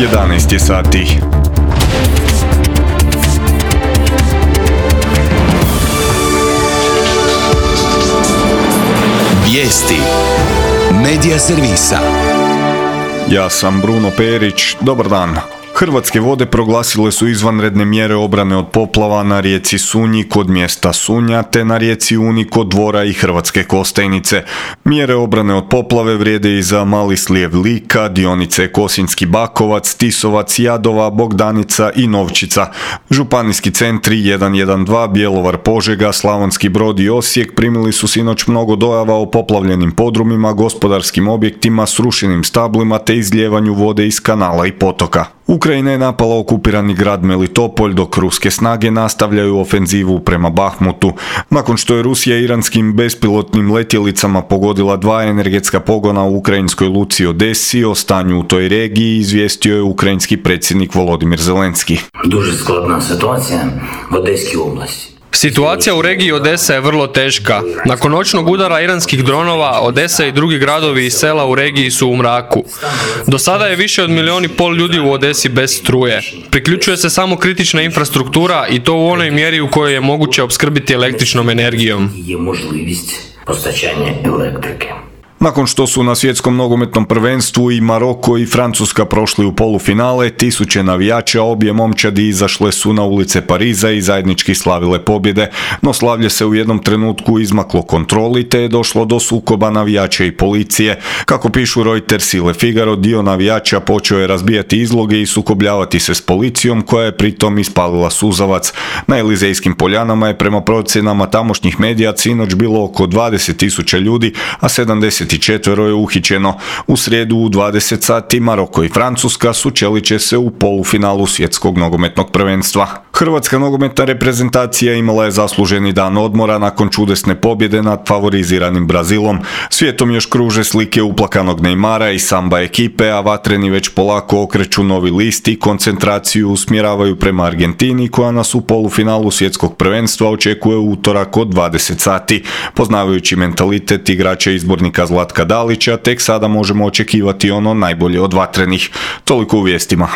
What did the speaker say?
11 je sati. Vijesti Medija servisa. Ja sam Bruno Perić, dobar dan. Hrvatske vode proglasile su izvanredne mjere obrane od poplava na rijeci Sunji kod mjesta Sunja te na rijeci Uni kod Dvora i Hrvatske Kostajnice. Mjere obrane od poplave vrijede i za Mali slijev Lika, dionice Kosinjski Bakovac, Tisovac, Jadova, Bogdanica i Novčica. Županijski centri 112, Bjelovar, Požega, Slavonski Brod i Osijek primili su sinoć mnogo dojava o poplavljenim podrumima, gospodarskim objektima, srušenim stablima te izlijevanju vode iz kanala i potoka. Ukrajina je napala okupirani grad Melitopolj, dok ruske snage nastavljaju ofenzivu prema Bahmutu. Nakon što je Rusija iranskim bespilotnim letjelicama pogodila 2 energetska pogona u ukrajinskoj luci Odesi, o stanju u toj regiji izvijestio je ukrajinski predsjednik Volodimir Zelenski. Дуже складна ситуація в Одеській області. Situacija u regiji Odesa je vrlo teška. Nakon noćnog udara iranskih dronova, Odesa i drugi gradovi i sela u regiji su u mraku. Do sada je više od 1,5 milijuna ljudi u Odesi bez struje. Priključuje se samo kritična infrastruktura i to u onoj mjeri u kojoj je moguće opskrbiti električnom energijom. Є можливість постачання електрики. Nakon što su na svjetskom nogometnom prvenstvu i Maroko i Francuska prošli u polufinale, tisuće navijača obje momčadi izašle su na ulice Pariza i zajednički slavile pobjede, no slavlje se u jednom trenutku izmaklo kontroli te je došlo do sukoba navijača i policije. Kako pišu Reuters i Le Figaro, dio navijača počeo je razbijati izloge i sukobljavati se s policijom koja je pritom ispalila suzavac. Na Elizejskim poljanama je prema procjenama tamošnjih medija sinoć bilo oko 20.000 ljudi, a 74 je uhićeno. U srijedu u 20 sati Maroko i Francuska sučelit će se u polufinalu svjetskog nogometnog prvenstva. Hrvatska nogometna reprezentacija imala je zasluženi dan odmora nakon čudesne pobjede nad favoriziranim Brazilom. Svijetom još kruže slike uplakanog Neymara i samba ekipe, a vatreni već polako okreću novi list i koncentraciju usmjeravaju prema Argentini koja nas u polufinalu svjetskog prvenstva očekuje u utorak od 20 sati. Poznavajući mentalitet igrača izbornika Zlatka Dalića, tek sada možemo očekivati ono najbolje od vatrenih. Toliko u vijestima.